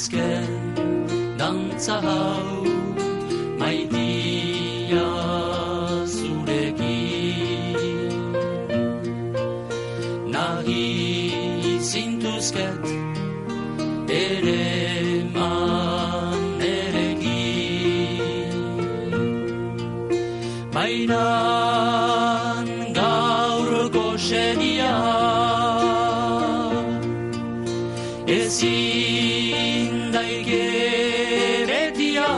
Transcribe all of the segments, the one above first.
azken dantza hau maitia zurekin nahi zintuzket ere manerekin baina gaurko seria ezin daike betia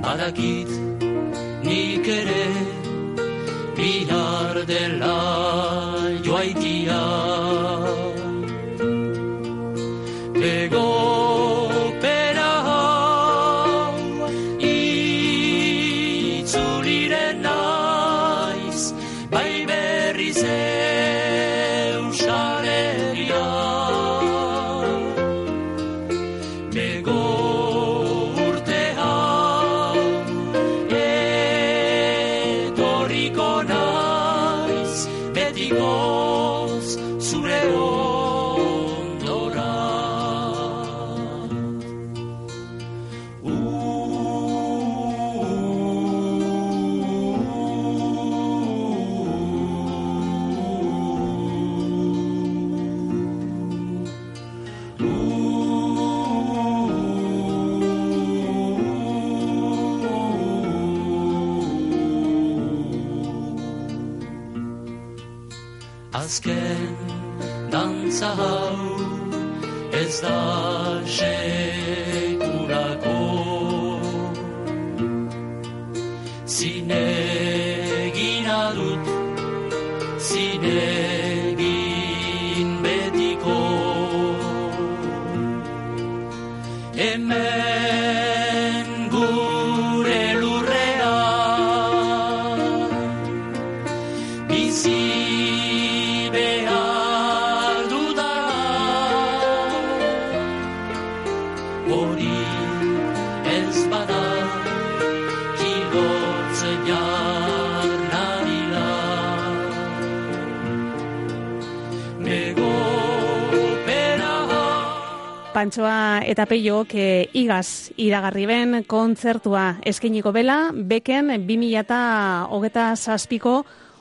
badakit nik ere bihar dela joaitia begopera itzuliren naiz bai berriz eusareria bego urtea etorriko naiz betikoz zure ondora azken dantza hau ez da sekulako zinegina dut zinegin betiko hemen gure lurrean bizi hori ez bada kigotze jarnarila megopera Pantsoa eta Peiok igaz iragarri ben kontzertua eskainiko bela beken 2027ko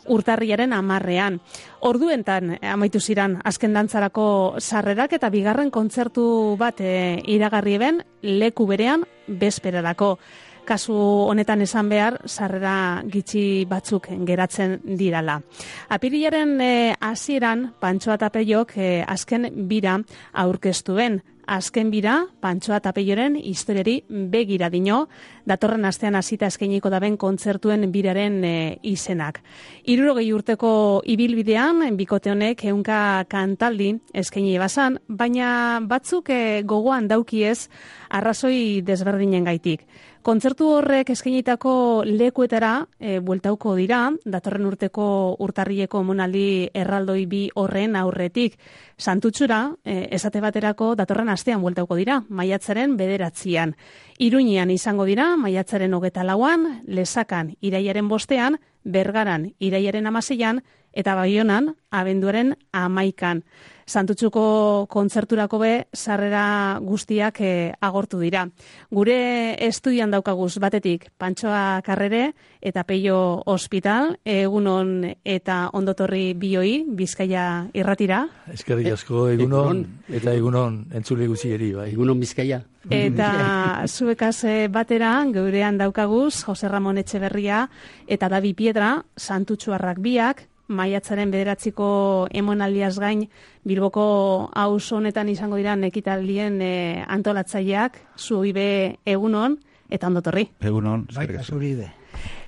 urtarriaren 10ean. Orduentan amaitu ziran azken dantzarako sarrerak eta bigarren kontzertu bat iragarri ben leku berean bezperarako. Kasu honetan esan behar, sarrera gitxi batzuk geratzen dirala. Apirilaren hasieran Pantsoa eta Peiok azken bira aurkeztu ben. Azken bira, Pantsoa eta Peioren historiari begira dino, datorren astean hasita eskainiko daben kontzertuen biraren izenak. 60 urteko ibilbidean, bikote honek 100 kantaldi eskaini bazan, baina batzuk gogoan daukiez arrazoi desberdinen gaitik. Kontzertu horrek eskainitako lekuetara bueltauko dira, datorren urteko urtarrileko emanaldi erraldoi bi horren aurretik. Santutxura, esate baterako datorren astean bueltauko dira, maiatzaren 9. Iruñean izango dira, maiatzaren 24, Lesakan irailaren 5, Bergaran irailaren 16 eta Baionan abenduaren 11. Santutxuko kontzerturako be sarrera guztiak agortu dira. Gure estudian daukaguz batetik Pantsoa Karrere eta Peio Hospital, egunon eta ondotorri bioi Bizkaia irratira. Eskerrik asko egunon eta egunon entzule guzieri bai. Egunon Bizkaia. Eta zuekaz batera geurean daukaguz Jose Ramon Etxeberria eta Davi Piedra, Santutxuarrak biak, maiatzaren 9ko emonaldiaz gain Bilboko auzo honetan izango dira ekitaldien antolatzaileak, zuibe egunon eta ondotorri. Egunon, eskerrik asko.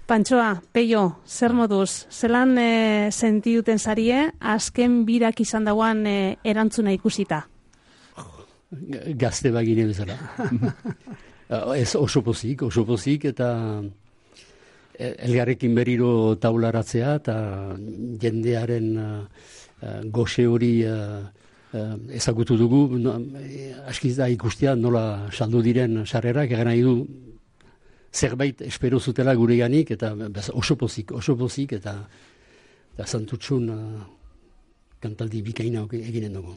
Pantsoa, Peio, zer moduz, zelan sentiduten zarie azken birak izan dagoan erantzuna ikusita? Gazte bagine bezala. Ez oso pozik eta elgarrekin berriro taularatzea eta jendearen goxe hori ezagutu dugu, askiz da ikustea nola saldu diren sarrerak, egan nahi du zerbait espero zutela gureganik eta oso pozik eta Santutxun kantaldi bikaina eginen dugu.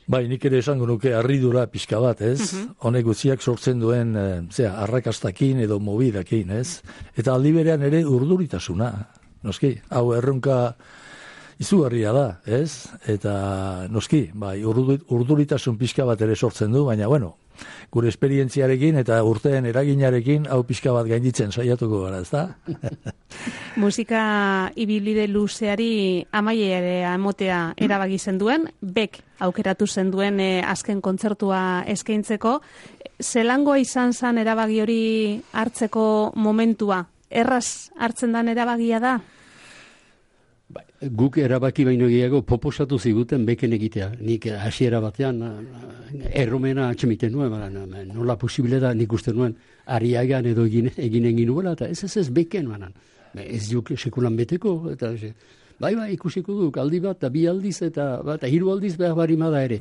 Bai, nik ere esango nuke harridura pixka bat, ez? Honek guztiak sortzen duen, arrakastakin edo mobidakin, ez? Eta aldi berean ere urduritasuna, noski, hau erronka izugarria da, ez? Eta noski, bai, urduritasun pixka bat ere sortzen du, baina, bueno, gure esperientziarekin eta urteen eraginarekin hau pixka bat gainditzen saiatuko gara, ez da? Musika ibilbide luzeari amaiera emotea erabaki zenduen, bek aukeratu zenduen azken kontzertua eskaintzeko. Zelangoa izan zen erabaki hori hartzeko momentua? Erraz hartzen dan erabakia da? Guk erabaki baino gehiago proposatu ziguten beken egitea. Nik hasiera batean erromena atxemiten nuen, nola posible da nik uste nuen Ariagan edo eginen ginuela, eta ez beken manan. Ez juk sekulan beteko, eta bai, ikusiko duk, aldi bat, eta bi aldiz, eta hiru aldiz behar barimada ere.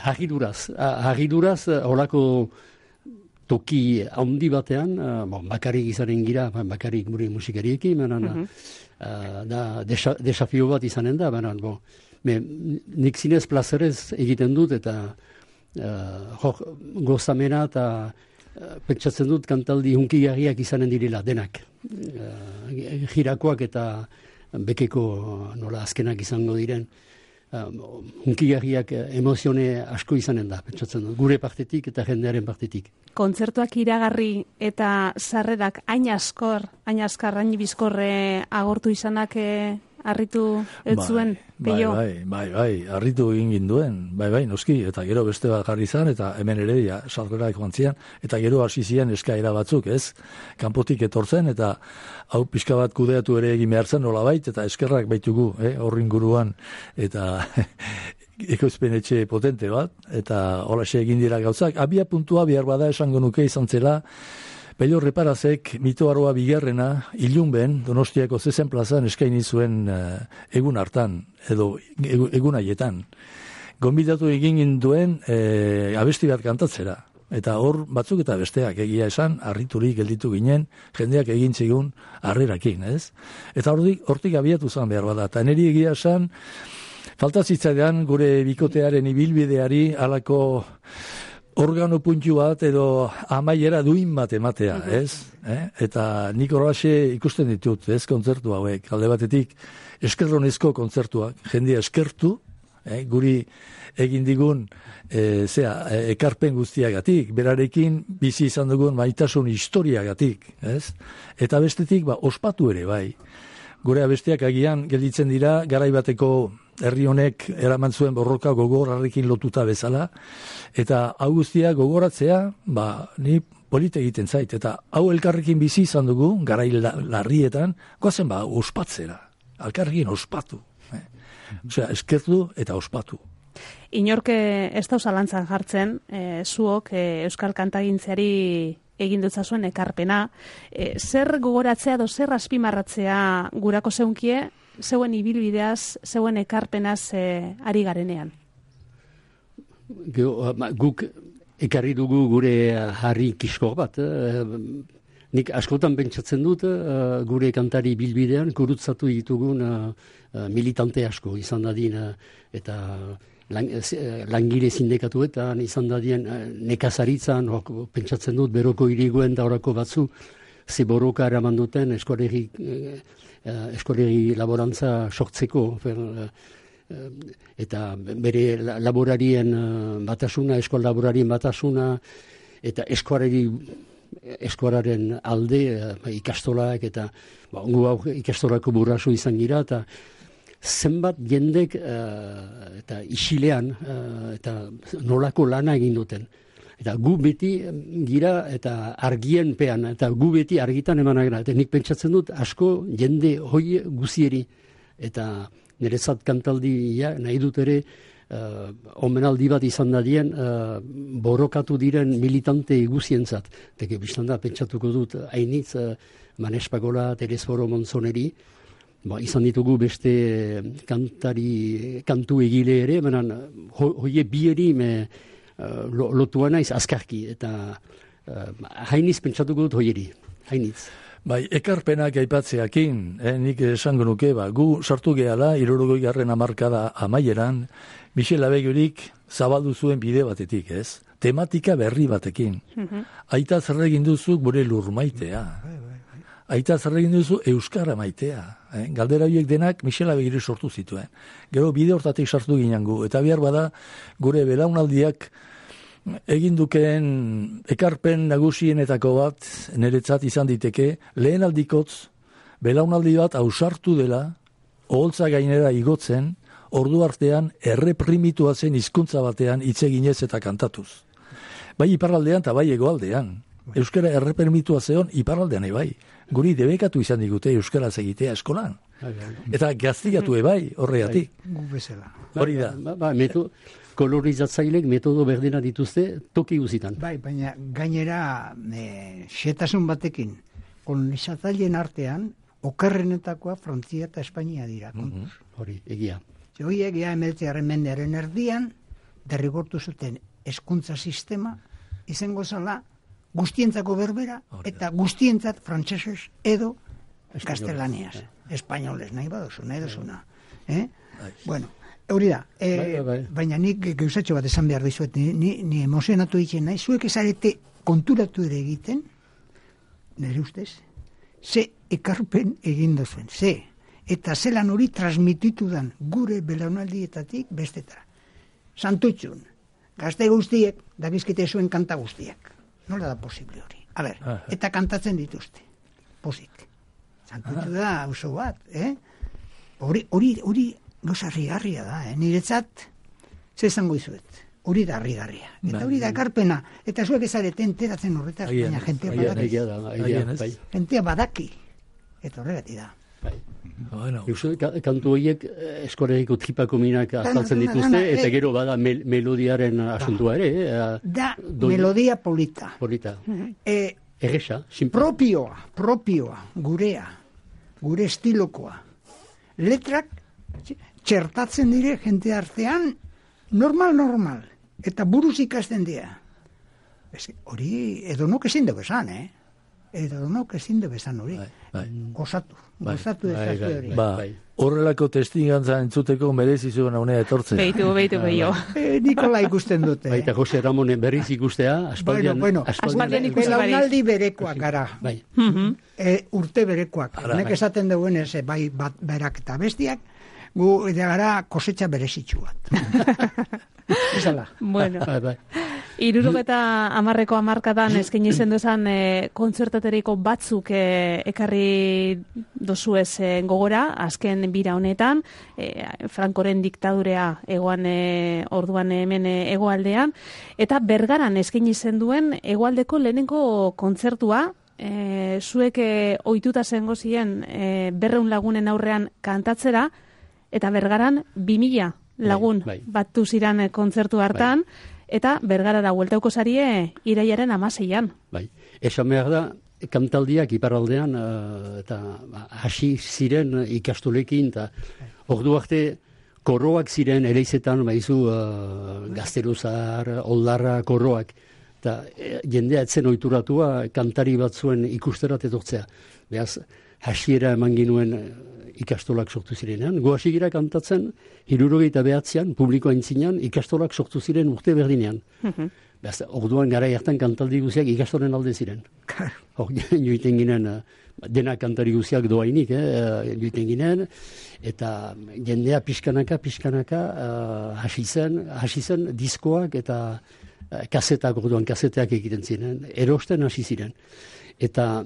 Hagiduraz, holako toki handi batean, bakarrik izanen gira, bakarrik gure musikariekin, da desafio bat izanen da, nik zinez plazerez egiten dut, eta gozamena eta pentsatzen dut kantaldi hunkigarriak izanen direla, denak. Girakoak eta bekeko nola azkenak izango diren, hunkigarriak emozione asko izanen da, pentsatzen dut, gure partetik eta jendearen partetik. Kontzertuak iragarri eta sarrerak hain askar, bizkorre agortu izanak harritu ez zuen, peio? Bai, harritu egin ginduen, bai, noski, eta gero beste bat jarri zan, eta hemen ere, sarrerak joan zian, eta gero hasi zian eskaera batzuk, ez? Kanpotik etortzen, eta hau pixka bat kudeatu ere egin behar zen, nolabait, eta eskerrak baitugu, horrin guruan, eta ekoizpen etxe potente bat, eta holaxe egin dira gauzak. Abia puntua behar bada esango nuke izan zela, Pello Reparazek mitoaroa bigarrena ilunben Donostiako Zezen plazan eskaini zuen egun hartan, edo egun haietan. Gonbidatu egin duen abesti bat kantatzera. Eta hor batzuk eta besteak egia esan, harriturik gelditu ginen, jendeak egin zigun harrerakin, ez? Eta hortik abiatu zan behar bada. Eta niri egia esan, falta zitzaidan gure bikotearen ibilbideari halako organo puntu bat edo amaiera duin bat ematea, ez? Eta nik horraxe ikusten ditut, ez, kontzertu hauek. Alde batetik, eskerronezko kontzertuak, jendea eskertu, guri egin digun ekarpen guztiagatik, berarekin bizi izan dugun maitasun historiagatik, ez? Eta bestetik, ospatu ere, bai. Gure abestiak agian gelditzen dira, garaibateko herri honek eraman zuen borroka gogorrarekin lotuta bezala, eta hau guztia gogoratzea, ni polite egiten zait, eta hau elkarrekin bizi izan dugu, garai larrietan, goazen ospatzera, elkarrekin ospatu. Osea, eskertu eta ospatu. Inorke ez da zalantzan jartzen, zuok euskal kantagintzeari egin dutzazuen ekarpena, zer gogoratzea edo zer azpimarratzea gurako zeunkie, zeuen ibilbideaz, zeuen ekarpenaz ari garenean? Guk ekarri dugu gure harri kiskor bat. Nik askotan pentsatzen dut gure kantari bilbidean gurutzatu ditugun militante asko izan dadin eta langile sindikatuetan izan dadien nekazaritzan, pentsatzen dut beroko iriguen da horako batzu ze borroka eraman duten eskolegi laborantza sortzeko eta bere laborarien batasuna, eskol laborarien batasuna eta eskuararen alde ikastolak eta ikastolako burraso izan gira eta zenbat jendek eta isilean eta nolako lana egin duten. Eta gu beti gira eta argien pean, eta gu beti argitan emanak gara. Eta nik pentsatzen dut asko jende hoi guzieri. Eta niretzat kantaldia nahi dut ere omenaldi bat izan dadien borrokatu diren militante guzientzat. Eta biztan da pentsatuko dut hainitz Manespagola, Teresforo Monzoneri, izan ditugu beste kantu egile ere, hoie bieri lotua naiz azkarki, eta hainiz pentsatuko dut hoieri, hainitz. Bai, ekarpenak aipatzeakin, nik esango nuke, gu sartu gehala, 60. hamarkada amaieran, Michel Abegirik zabaldu zuen bide batetik, ez? Tematika berri batekin. Aita zer egin duzu gure lur maitea. Aita zer egin duzu euskara maitea. Galdera horiek denak Michel Abegiri sortu zituen. Gero bide hortatik sartu ginen gu, eta behar bada gure belaunaldiak egin dukeen ekarpen nagusienetako bat niretzat izan diteke, lehen aldikotz, belaunaldi bat ausartu dela, oholtza gainera igotzen, ordu artean erreprimitua zen hizkuntza batean hitz eginez eta kantatuz. Bai iparraldean eta bai hegoaldean. Euskara erreprimitua zeon iparraldean bai. Guri debekatu izan digute euskaraz egitea eskolan. Eta gaztigatu bai horregatik. Gu bezala. Hori da. Kolorizatzailek metodo berdina dituzte toki guzitan. Bai, baina gainera xetasun batekin kolonizatzaileen artean okerrenetakoa Frantzia eta Espainia dira. Hori, egia. Horiek ja 19. mendearen erdian derrigortu zuten hezkuntza sistema izango zala guztientzako berbera eta guztientzat frantsesez edo gaztelaniaz. Espainoles nahi duzuna. Bueno, hori da. Baina nik gauzatxo bat esan behar dizuet, ni emozionatu ditzen nahi, zuek ezarete konturatu ere egiten, nire ustez, ze ekarpen egin duzuen, eta zelan hori transmititu dan gure belaunaldietatik bestetara. Santutxun, gazte guztiek, dabizkite zuen kanta guztiak. Nola da posible hori? A ber, eta kantatzen dituzte. Pozik. Santutxu da, oso bat, Hori gauza harrigarria da, Niretzat, ze zango izuet. Hori da harrigarria. Eta hori da ekarpena. Eta zuek ezarete enteratzen horretaz, baina jentea badaki. Jentea badaki. Eta horregati da. Kantu horiek eskoregiko tripako minak azaltzen dituzte, eta gero bada melodiaren asuntua ere. Da, melodia polita. Erresa, propioa, gurea, gure estilokoa. Letrak txertatzen dire jente artean normal. Eta buruz ikasten dira. Hori edonok ezin dugu esan, Edonok ezin dugu esan hori. Gozatu ezaztu hori. Horrelako testigantza entzuteko merezi zuen haunea etortzea. Beitu. Nikola ikusten dute. Baita Jose Ramonen berriz ikustea, aspaldian ikusi belaunaldi berekoak gara. Urte berekoak. Nek esaten duen ez, bai bat berak eta bestiak, gu gara kosetxa berezitxu bat. Izala. Bueno. 70 hamarkadan eskaini zen duzan kontzertateriko batzuk ekarri dozuez gogora, azken bira honetan, Frankoren diktadurea egoan orduan hemen hegoaldean, eta Bergaran eskaini zen duen hegoaldeko lehenengo kontzertua, zuek ohituta zengo ziren 200 lagunen aurrean kantatzera, eta Bergaran 2000 lagun batu ziren kontzertu hartan, eta Bergarara bueltauko zarie irailaren 16an. Esan behar da, kantaldiak iparraldean eta hasi ziren ikastolekin, eta ordu arte koroak ziren ereizetan, Gazteluzar, Oldarra koroak, eta jendea etzen ohituratua kantari batzuen ikusterat etortzea. Beaz, hasiera eman ginuen ikastolak sortu zirenean. Gu hasi gira kantatzen, 79an, publikoa intzinean, ikastolak sortu ziren urte berdinean. Orduan gara hartan kantaldi guziak ikastolen alde ziren. Joiten ginen, dena kantari guziak doainik, joiten ginen, eta jendea pixkanaka hasi zen diskoak eta kasetak, orduan kaseteak egiten ziren, erosten hasi ziren. Eta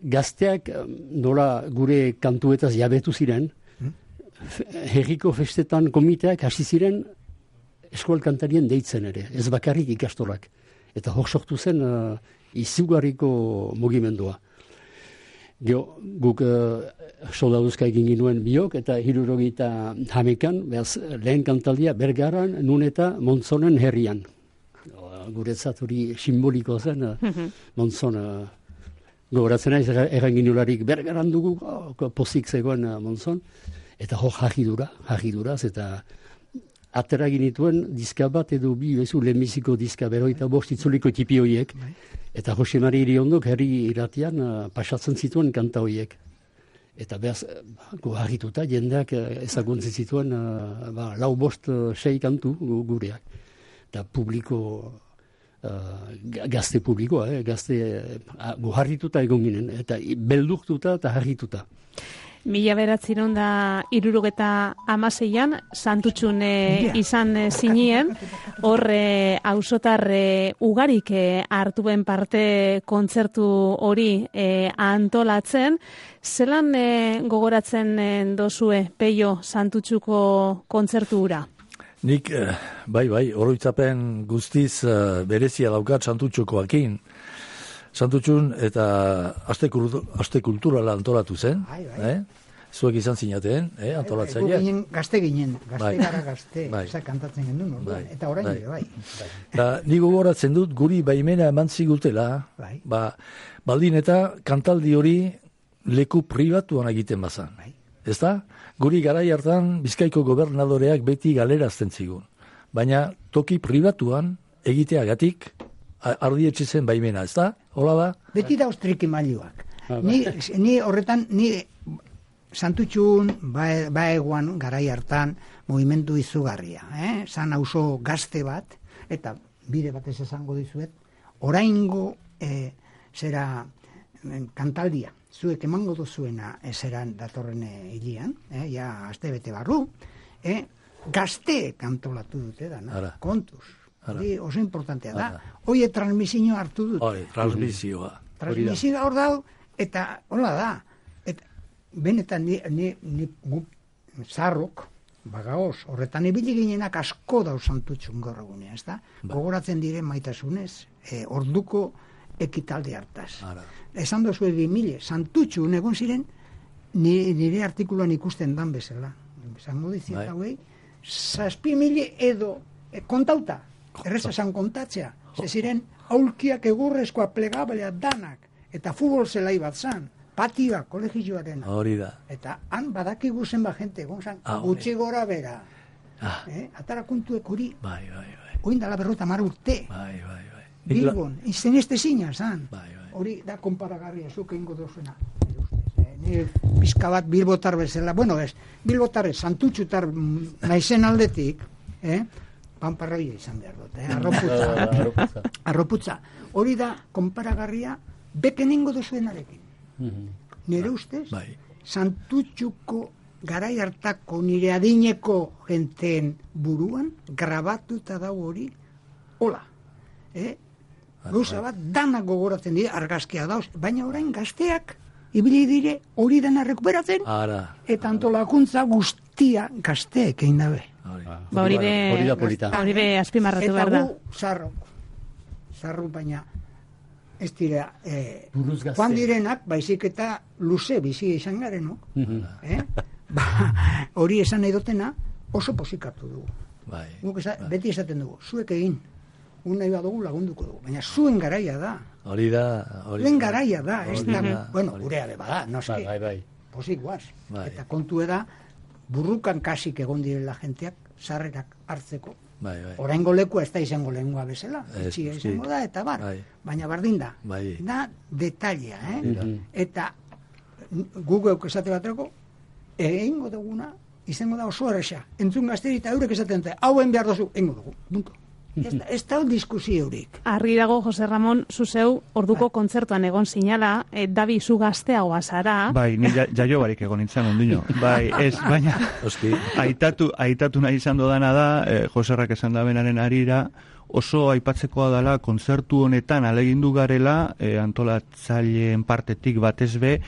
gazteak nola gure kantuetaz jabetu ziren, herriko festetan komiteak hasi ziren eskual kantarien deitzen ere, ez bakarrik ikastolak. Eta hor sortu zen izugarriko mugimendua. Guk soldaduzka egin ginuen biok, eta 71an, lehen kantaldia Bergaran, nun eta Montzonen herrian. Guretzat hori simboliko zen, Montzon. Gogoratzen naiz erranginularik Bergaran dugu, pozik zegoen Montzon, eta hor jarri duraz, eta atera ginituen diska bat edo bi, bezu, lehenbiziko diska, 45 itzuliko tipi horiek. Eta Jose Mari Iriondok herri irratian pasatzen zituen kanta horiek. Eta behaz, harrituta, jendeak ezaguntzen zituen 4-5-6 kantu gureak. Eta publiko, gazte publikoa, gazte harrituta egon ginen, eta beldurtuta eta harrituta. 1976an Santutxun izan zinien, hor auzotar ugarik hartuen parte kontzertu hori antolatzen. Zelan gogoratzen dozue, Peio, Santutxuko kontzertu hura? Nik, bai, oroitzapen guztiz berezia daukat Santutxukoakin. Santutxun eta aste kulturala antolatu zen. Zuek izan zinaten, antolatzaile. Gazte ginen, gara gazte, kantatzen gendun, eta orain bai. Ni gogoratzen dut, guri baimena eman zigutela, baldin eta kantaldi hori leku pribatuan egiten bazan. Ezta? Guri garai hartan Bizkaiko gobernadoreak beti galerazten zigun. Baina toki pribatuan egiteagatik ardietxe zen baimena, ez da? Hola da? Beti da ostriki mailuak. Ni horretan, Santutxun, baeguan, garai hartan, movimentu izugarria. Zan auzo gazte bat, eta bide batez esango dizuet, oraingo zera kantaldia, zuek emango duzuena ezeran datorren hilian, ja aste bete barru, gazte kantolatu dute dana, kontuz. Oso importantea da. Oie transmisioa hartu dut. Transmisioa. Transmisioa hor dau, eta hola da. Benetan ni zarrok, bagaoz, horretan ibili ginenak asko dau Santutxun gaur egunean, ez da? Gogoratzen diren maitasunez, orduko ekitalde hartaz. Esan dozu 2000, Santutxun egon ziren, nire artikuloan ikusten dan bezala. Esango dizien hauei, 7.000 edo kontauta. Erreza zan kontatzea. Ze ziren, aulkiak egurrezkoa plegablea danak. Eta futbol zelai bat zan. Patioa, kolegioaren. Hori da. Eta han badakigu zenba jente egon zan. Gutxi gora bera. Atara kontuek hori. Bai. Oindala 50 urte. Bai. Bilbon, izten este zina zan. Hori da konparagarria, zuke ingo dozuna. Ni pizka bat bilbotar bezala. Bueno, bilbotar Santutxutar naizen aldetik, panparroia izan behar dut, arroputza. Hori da, konparagarria, beken ingo duzuenarekin. Nire ustez, Santutxuko garai hartako nire adineko jenteen buruan, grabatuta dago hori, hola. Gauza bat, danak gogoratzen dira, argazkia dauz, baina orain gazteak, ibili dire hori dena rekuperatzen, eta antolakuntza guztia gazteek egin dabe. Hori be azpimarratu behar da. Eta gu zarru baina ez dira joan direnak, baizik eta luze bizi izan garen, hori esan nahi dutena oso posikatu dugu. Beti esaten dugu, zuek egin, nahi badugu lagunduko dugu, baina zuen garaia da. Hori da. Zuen garaia da, bueno, gurea beba da, noski, posik guaz. Eta kontu da, burrukan kasik egon direla jenteak, sarrerak hartzeko. Oraingo lekua ez da izango lehengua bezala, etxia izango da, eta baina bardin da. Da detalia, eta gugeuk esate baterako, egingo duguna, izango da oso erresa. Entzun gazteri eta eurek esaten dute, hauen behar dozu, egingo dugu, punto. Ez da diskusio haurik. Argi dago, Jose Ramon, zuzeu orduko kontzertuan egon zinala, Dabi, zu gazteagoa zara. Bai, ni jaio barik egon nintzen ondino. Bai, ez, baina aitatu nahi izan dodana da, Joserrak esan da benaren arira, oso aipatzekoa dela kontzertu honetan alegindu garela, antolatzaileen partetik batez be,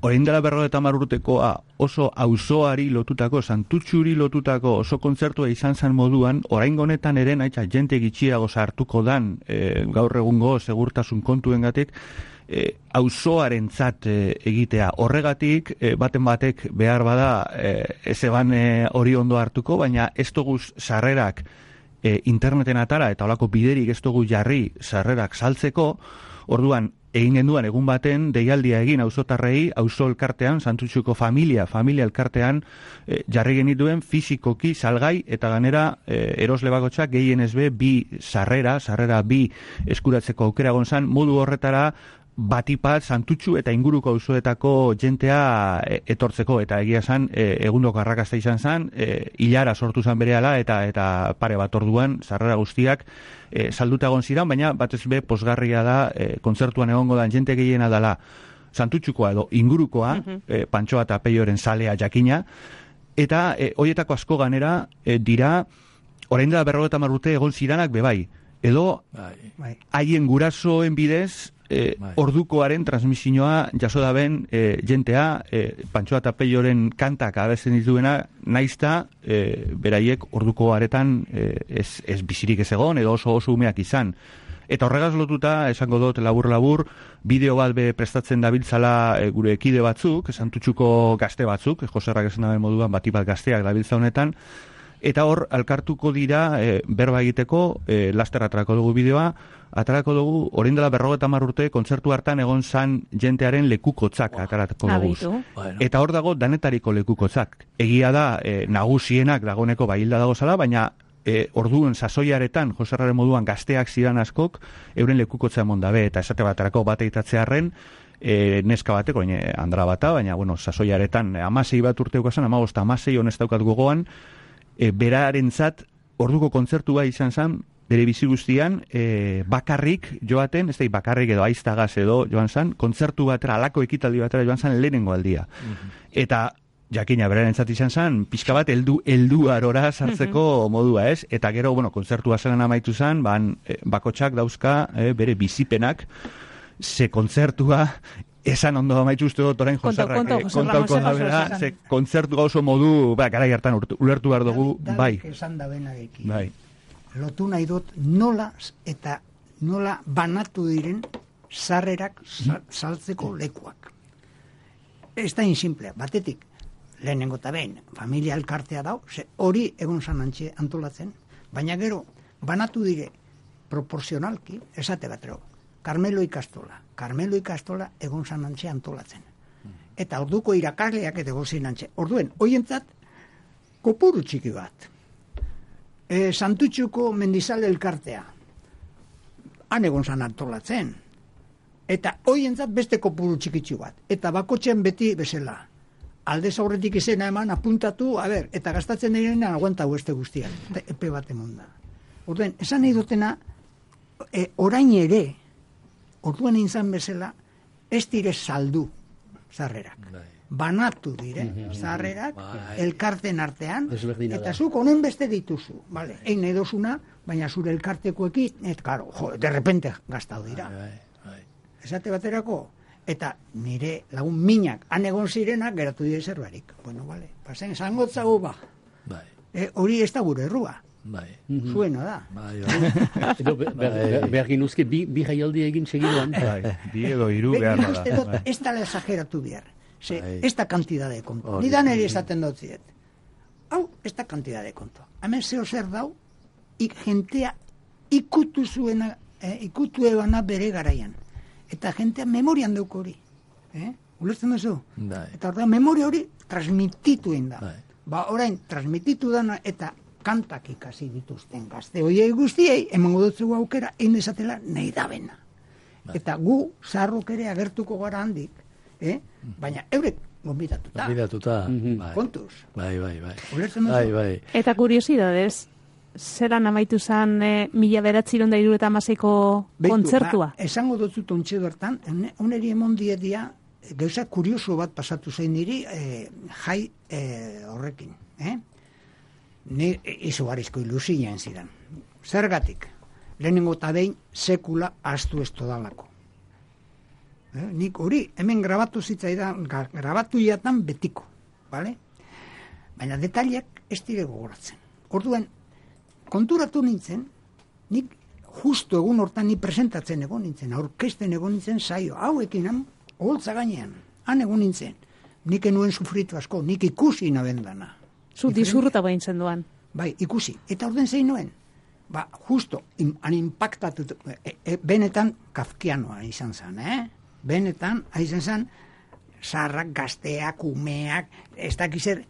orain dela 50 urtekoa oso auzoari lotutako, Santutxuri lotutako oso kontzertua izan zen moduan, orain honetan ere naitza jente gitxiago sartuko dan gaur egungo segurtasun kontuengatik, auzoarentzat egitea. Horregatik, baten batek behar bada ezeban hori ondo hartuko, baina ez dugu sarrerak interneten atara eta olako biderik ez dugu jarri sarrerak saltzeko, orduan egin genduan egun baten deialdia egin auzotarrei, auzo elkartean, Santutxuko familia elkartean, jarri genituen fisikoki salgai eta ganera erosle bakotxak gehienez bi sarrera bi eskuratzeko aukera gonzan, modu horretara batipat Santutxu eta inguruko auzoetako jentea etortzeko, eta egia zan, egundoko arrakasta izan zan, hilara sortu zan berehala eta pare bat orduan sarrera guztiak salduta egon ziren, baina batez be posgarria da kontzertuan egongo dan jente gehiena dela Santutxukoa edo ingurukoa, Pantxoa eta Peioren salea jakina, eta horietako asko ganera dira, orain dela 50 urte egon ziranak bebai, edo haien gurasoen bidez ordukoaren transmisioa jaso daben jentea, Pantxoa eta Peioren kantak abesten dituena, naizta beraiek orduko aretan ez bizirik ez egon, edo oso umeak izan. Eta horregaz lotuta, esango dut labur, bideo bat prestatzen dabiltzala gure ekide batzuk, Santutxuko gazte batzuk, Joserrak esan daben moduan batipat gazteak dabiltza honetan, eta hor alkartuko dira berba egiteko, laster atarako dugu bideoa, atarako dugu, orain dela 50 urte, kontzertu hartan egon zan jentearen lekukotzak atarako dugu. Eta hor dago danetariko lekukotzak. Egia da, nagusienak dagoneko bahilda dago zala, baina orduen sasoiaretan, Joserraren moduan gazteak zidan askok, euren lekukotza emon dabe, eta esate batarako bate itatzearen, neska bateko, andra bata, baina, sasoiaretan 16 bat urteuko zen, 15 honez daukat gogoan, berarentzat orduko kontzertua izan zen, bere bizi guztian, bakarrik joaten, ez da bakarrik edo aiztagaz edo joan zen, kontzertu batera, alako ekitaldi batera joan zen lehenengo aldia. Eta jakina berarentzat izan zen, pixka bat heldu arora sartzeko modua, ez? Eta gero, kontzertua zelan amaitu zen, bakotxak dauzka bere bizipenak, ze kontzertua esan ondo amaitu uste dut orain Joserrak kontauko da bera, ze kontzertua oso modu, garai hartan ulertu behar dugu, bai. Esan da benarekin. Bai. Lotu nahi dut nola banatu diren sarrerak saltzeko lekuak. Ez da insimplea, batetik, lehenengo eta behin, familia elkartea dau, hori egon zanantxe antolatzen, baina gero, banatu dire proporzionalki, esate batero, Carmelo ikastola egon zanantxe antolatzen. Eta orduko irakasleak edo zinantxe. Orduen, hoientzat, kopuru txiki bat. Santutxuko mendizale elkartea. Han egon zan antolatzen. Eta hoientzat beste kopuru txikitzu bat. Eta bakotxean beti bezala. Aldez aurretik izena eman, apuntatu, eta gastatzen direnean aguanta beste guztiak. Epe bat emonda. Orduen, esan nahi dutena, orain ere, orduan izan bezala, ez dire saldu sarrerak. Banatu dire sarrerak, elkarten artean, eta zuk honen beste dituzu. Egin nahi dozuna, baina zure elkartekoekin, de repente gastau dira. Esate baterako, eta nire lagun minak, han egon zirenak, geratu dire zerbarik. Pasen, zangotzago hori ez da gure errua. Zuena da. Behar ginuzke, bi jaialdi egin segiduan. Bi edo hiru behar da. Ez da exageratu behar. Ez da kantidad de konto. Ni da nire esaten dut ziet. Hau, ez da kantidad de konto. Hemen zeo zer dau, jentea ikutu zuena, ikutu ebana bere garaian. Eta jentea memorian deuk hori. Ulertzen duzu? Eta orda, memoria hori transmititu da. Orain, transmititu dana eta kantak ikasi dituzten gazte hoiei guztiei, emango dutzu aukera, egin esatela nahi da bena. Eta gu, zaharrok ere agertuko gara handik, baina eurek gombidatuta. Kontuz. Bai. Eta kuriosidadez, zeran amaitu zen 1976ko kontzertua? Esango dutzu tontxe bertan, oneri emon diedia, gauza kurioso bat pasatu zein niri, jai horrekin, ni izugarrizko ilusien ziren. Zergatik, lehenengo eta behin sekula astu ez todalako. Nik hori, hemen grabatu zitzaidan, grabatu jatan betiko, bale? Baina detaliak ez dire gogoratzen. Orduan, konturatu nintzen, nik justu egun hortan ni presentatzen egon nintzen, aurkesten egon nintzen saio, hauekin han, oholtza gainean, han egon nintzen. Nik enuen sufritu asko, nik ikusi nabendana. Zu dizurruta behin zenduan. Bai, ikusi. Eta orden zein nuen. justo, han impactatu, benetan kafkianoa izan zen, Benetan, izan zen, zarrak, gazteak, umeak, ez dakizer,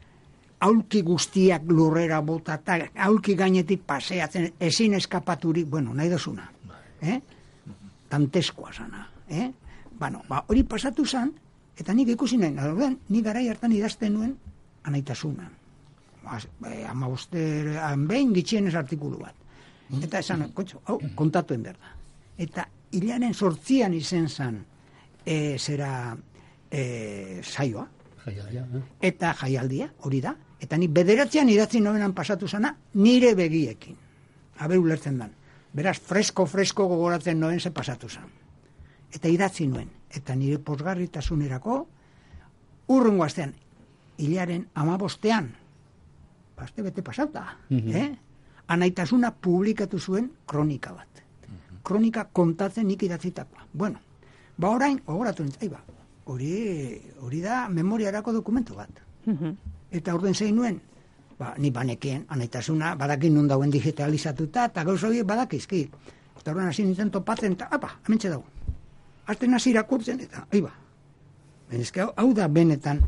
aulki guztiak lurrera botata, aulki gainetik paseatzen, ezin eskapaturik, nahi dozuna. Tanteskoa zana. Hori pasatu zen, eta nik ikusi nahi, nik garai hartan idazten nuen anaitasuna. 15 behin gitxienez artikulu bat. Eta esan, kontatuen berda. Eta hilaren 8 izen zen saioa. Eta jaialdia, hori da. Eta ni 9 idatzi nobenan pasatu zana, nire begiekin. Aber ulertzen dan. Beraz, fresko gogoratzen noen ze pasatu zan. Eta idatzi nuen. Eta nire posgarritasunerako, urrungo astean, hilaren 15, aste bete pasauta, anaitasuna publikatu zuen kronika bat. Kronika kontatzen nik idatzitakoa. Orain, ogoratu nintzen, hori da memoriarako dokumentu bat. Eta orduen zein nuen, ni banekien, anaitasuna, badakin nun dauen digitalizatuta, eta gauz horiek badakizki. Eta orduen hasi nintzen topatzen, eta hementxe dago. Azten hasi irakurtzen, eta hau da benetan,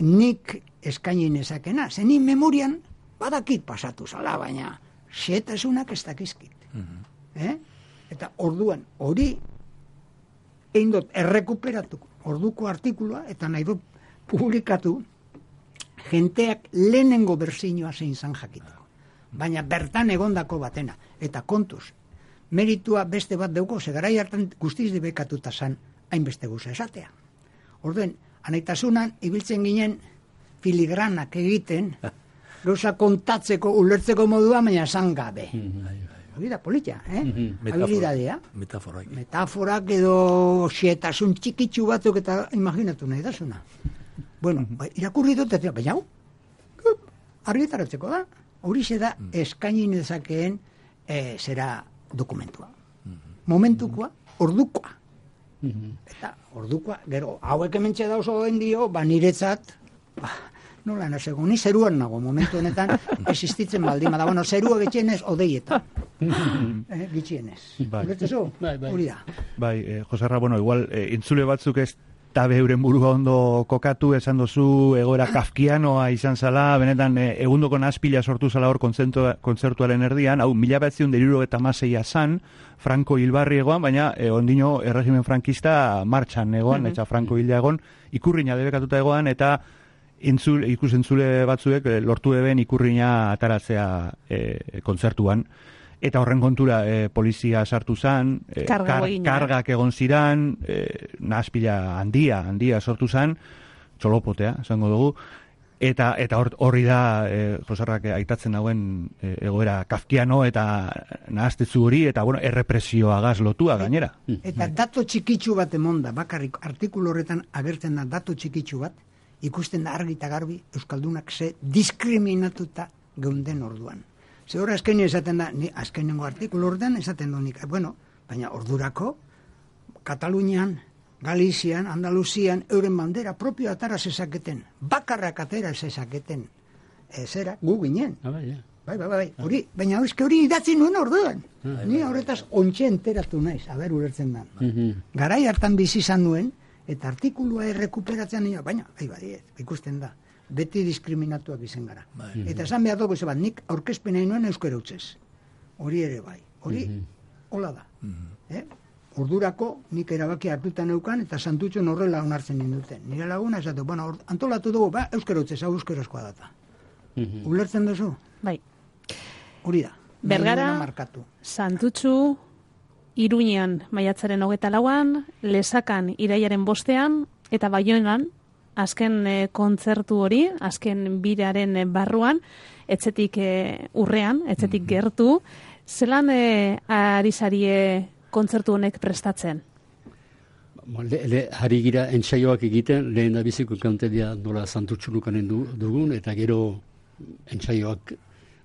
nik eskaini nezakena, zen ni memorian badakit pasatu zala, baina xetasunak ez dakizkit. Eta orduan, hori egin dut errekuperatu orduko artikulua, eta nahi dut publikatu jenteak lehenengo berzinoa zein zan jakiteko. Baina bertan egondako batena. Eta kontuz, meritua beste bat deuko, garai hartan guztiz dibekatuta zan hainbeste guza esatea. Orduen, anaitasunan ibiltzen ginen filigranak egiten, gauza kontatzeko, ulertzeko modua, baina esan gabe. Hori da politia, habilidadea. Metaforak edo xietasun txikitsu batzuk eta imaginatu nahi dasuna. Irakurri dut, baina argitaratzeko da. Horixe da eskaini nezakeen zera dokumentua. Momentukoa, ordukoa. Eta ordukoa, gero, hauek hementxe da oso endio, niretzat, nola nasego, ni zeruan nago, momentu honetan, existitzen baldima da. Zerua getxienez, odeietan. Gitxienez. Ulertzezu? Hori da. Joserra, igual, intzule batzuk ez tabe euren burua ondo kokatu, esan dozu egoera kafkianoa izan zala, benetan egundoko nazpila sortu zala hor kontzertuaren erdian, hau 1976a zan, Franco hilbarri egoan, baina ondino erregimen frankista martxan egoan, eta Franco hila egon, ikurriña debekatuta egoan, eta ikusentzule batzuek lortu eben ikurriña ataratzea kontzertuan. Eta horren kontura polizia sartu zan, kargak egon ziran, nazpila handia sortu zan, txolopotea, esango dugu, eta horri da Joserrak aitatzen dauen egoera kafkiano eta nahaztetzu hori, eta errepresioagaz lotua gainera. Eta dato txikitsu bat emonda, bakarrik artikulu horretan agertzen da dato txikitsu bat, ikusten da argi eta garbi Euskaldunak ze diskriminatuta geunden orduan. Zehora azkenin esaten da, azkenengo artikulu horretan esaten du nik, baina ordurako, Katalunian, Galizian, Andaluzian, euren bandera propio atara zezaketen, bakarrak atera zezaketen, zera, gu ginen. Bai, hori, baina hori idatzi nuen orduan. Ni horretaz ontxe enteratu naiz, ulertzen da. Garai hartan bizi izan nuen, eta artikulua errekuperatzen nio, baina, ikusten da. Beti diskriminatuak izen gara. Eta esan behar dugu bat, nik aurkezpenei nuen euskara utzez. Hori ere bai. Hori, hola da. Ordurako nik erabaki hartuta neukan, eta santutxon horrela onartzen ninduten. Nire laguna esatu, antolatu dugu, euskara utzez, hau euskarazkoa data. Ulertzen duzu? Bai. Hori da. Bergara, Santutxu, Iruñean maiatzaren 24an, Lesakan iraiaren 5ean, eta Baionan, azken kontzertu hori, azken biraren barruan, etzetik urrean, etzetik gertu, zelan ari zarie kontzertu honek prestatzen? Hari gira entsaioak egiten, lehen da biziko kantedia nola Santutxunukanen dugun, eta gero entsaioak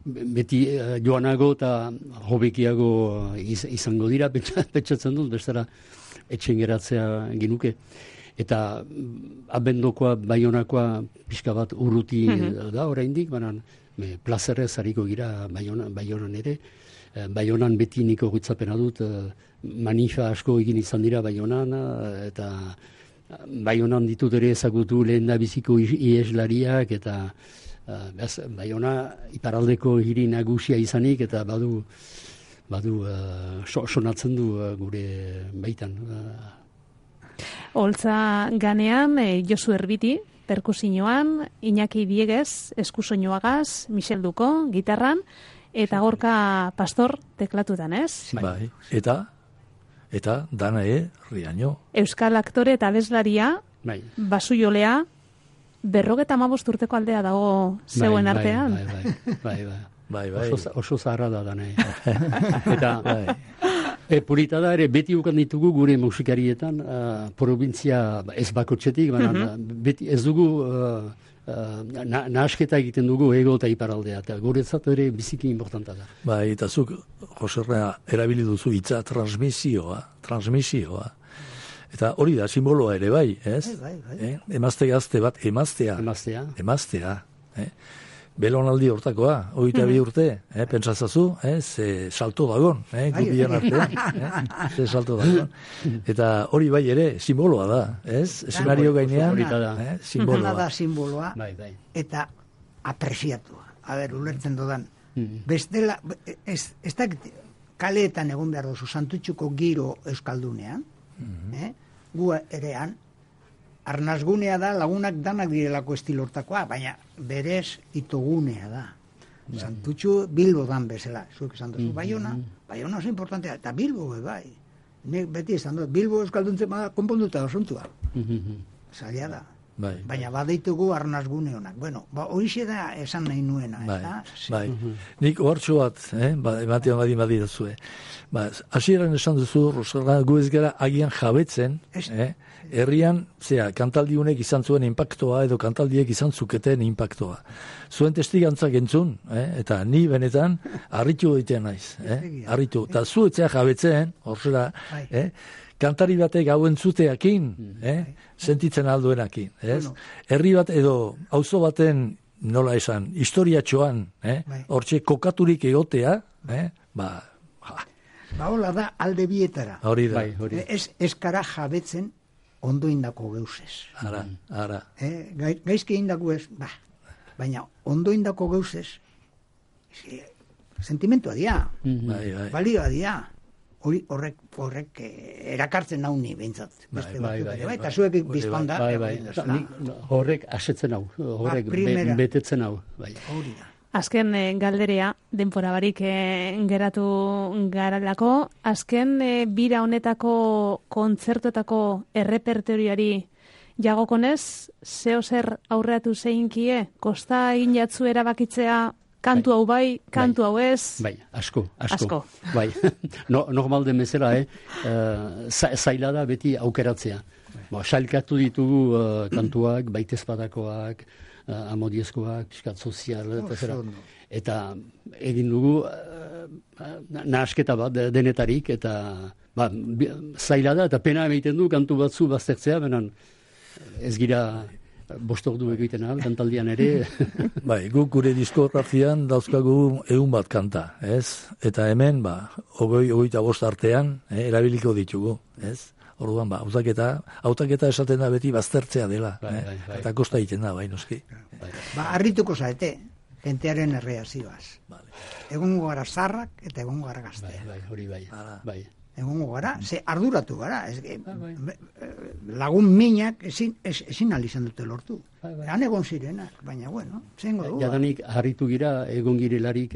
beti joanago eta hobekiago izango dira, pentsatzen dut, bestara etxen geratzea ginuke. Eta abendokoa, Baionakoa pixka bat urruti da oraindik, baina plazerrez hariko gira Baionan ere. Baionan beti niko gutzapena dut, manifa asko egin izan dira Baionan, eta Baionan ditut ere ezagutu lehen da biziko ieslariak, eta Baiona iparaldeko hiri nagusia izanik, eta badu sonatzen du gure baitan. Holtza ganean, Josu Erbiti, perkusioan, Iñaki Dieguez, eskusoinuagaz, Michel Duko, gitarran, eta Gorka Pastor teklatutan, ez? Bai. Eta Danae Riaño. Euskal aktore eta abeslaria, Bai. basujolea, 55 urteko aldea dago zeuen artean. Bai. Oso zaharra da Danae. Eta purita da ere, beti ukan ditugu gure musikarietan, provintzia ez bakotxetik, beti ez dugu nahasketa egiten dugu ego eta iparaldea, eta guretzat ere biziki importanta da. Bai, eta zuk, Joserra, erabili duzu hitza transmisioa. Eta hori da, simboloa ere bai, ez? Bai. Emazte gazte bat, emaztea. Belonaldi hortakoa, 22 urte, pentsatzazu, salto dagon, gubian artean, salto dagon. Eta hori bai ere, simboloa da, ez? Eszenario gainean, simboloa. Da simboloa, eta apresiatua. Ulertzen dodan. Bestela, ez da kaleetan egon behar dozu, Santutxuko giro euskaldunean, gu erean, arnazgunea da, lagunak danak direlako estilortakoa, baina berez itogunea da. Santutxu Bilbo dan bezala, zuek esan duzu, Baiona oso importantea, eta Bilbo bai. Nek beti esan dut, Bilbo euskalduntzen bada konponduta osuntua. Zaila da. Baina badeitugu arnazgune honak. Bueno, horixe da esan nahi nuena. Bai. Nik hortxo bat, ematean badidazue. Hasieran esan duzu, Rosalba, gu ez gara agian jabetzen, herrian, kantaldi honek izan zuen impactoa, edo kantaldiek izan zuketen impactoa. Zuen testigantzak entzun, eta ni benetan, harritu egiten naiz. Harritu. Eta zu etzea jabetzen, horzera, kantari batek hau entzuteakin, sentitzen alduenakin. Herri bat edo auzo baten, nola esan, historiatxoan, hortxe kokaturik egotea, hola da alde bietara. Hori da. Ez kara jabetzen ondo indako geuzez. Ara. Gaizki indako ez, baina ondo indako geuzez, sentimentua dia, balioa dia. Horrek erakartzen nau ni behintzat. Eta zuek bizpanda. Horrek asetzen hau, horrek betetzen hau. Azken galderea, denbora barik geratu garalako, azken bira honetako kontzertuetako errepertorioari jagokonez, zeo zer aurreatu zeinkie, kosta egin jatzu erabakitzea, kantu hau bai, kantu hau ez? Bai, asko. Bai, normal den bezala, zaila da beti aukeratzea. Sailkatu ditugu kantuak, baitezpadakoak, amodiezkoak, piskat sozial, eta egin dugu nahasketa bat denetarik, eta zaila da, eta pena egiten du kantu batzu baztertzea, benen ez gira bostordu egiten ahal, kantaldian ere. Bai, guk gure diskografian dauzkagu 100 bat kanta, ez? Eta hemen, 25 artean, erabiliko ditugu, ez? Orduan, hautaketa esaten da beti baztertzea dela, eta kosta egiten da, noski. Arrituko zaete, jentearen erreazioaz. Egongo gara zarrak eta egongo gara gaztea. Hori bai. Egongo gara, ze arduratu gara. Lagun minak ezin alizan dute lortu. Han egon zirenak, baina bueno, zengo dugu. Jadanik harritu gira, egon girelarik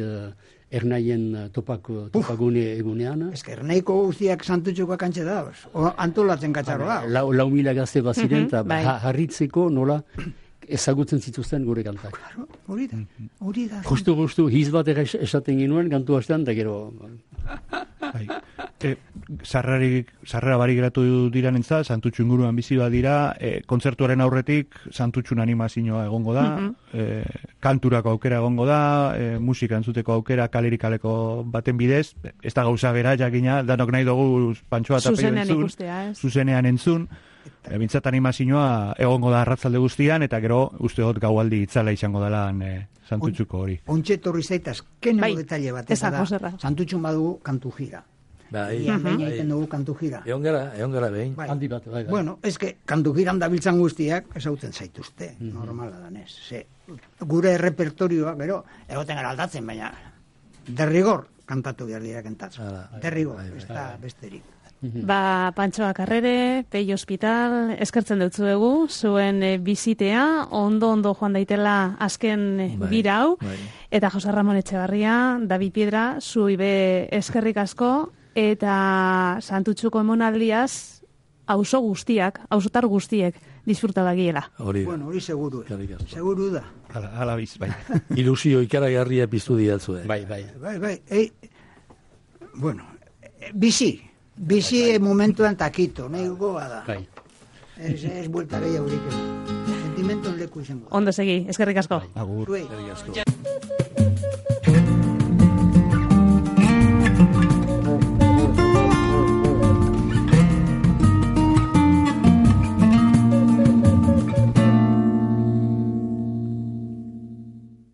ernaien topagune egunean. Ez que ernaiko guztiak Santutxuko kantxe dauz, antolatzen katxarro da. 4.000 gazte baziren, eta harritzeko nola ezagutzen zituzten gure kantak. Hori da. Justu, hiz bat esaten ginuen, kantu hastean, da gero... Sarrera barik geratu diranentza, Santutxu inguruan bizi badira, kontzertuaren aurretik Santutxun animazioa egongo da, kanturako aukera egongo da, musika entzuteko aukera kalerik kaleko baten bidez, ez da gauza bera jakina, danok nahi dugu pantsoa eta peio entzun, zuzenean entzun, Bintzat animazioa egongo da arratzalde guztian, eta gero uste dut gaualdi itzala izango dela Santutxuko hori. Ontxe torri zaitaz, keneko detalle bat, eta da, Santutxun badugu kantu jira. Behin egiten dugu kantu jira. Egon gara behin. Handi bat, bai. Bueno, kantu jiran dabiltzan guztiak, esauten zaituzte, normala danez. Gure repertorioa, gero, egoten gara aldatzen, baina derrigor kantatu behar dira kentatzen. Derrigor, ez da besterik. Pantxoa Karrere, Pei Hospital, eskertzen dutzuegu, zuen bizitea, ondo joan daitela azken bira hau, eta Jose Ramon Etxebarria, David Piedra, zuibe eskerrik asko, eta Santutxuko emonaldiaz, auzotar guztiek, disfruta bagiela. Bueno, hori seguru da. Ala biz, bai. Ilusio ikaragarria piztu diatzue. Bai. Bueno, bizi momentuan takito, nahi goa da. Ez buelta gehiago haurik. Sentimenton leku izango. Ondo segi, eskerrik asko. Agur. Eskerrik asko.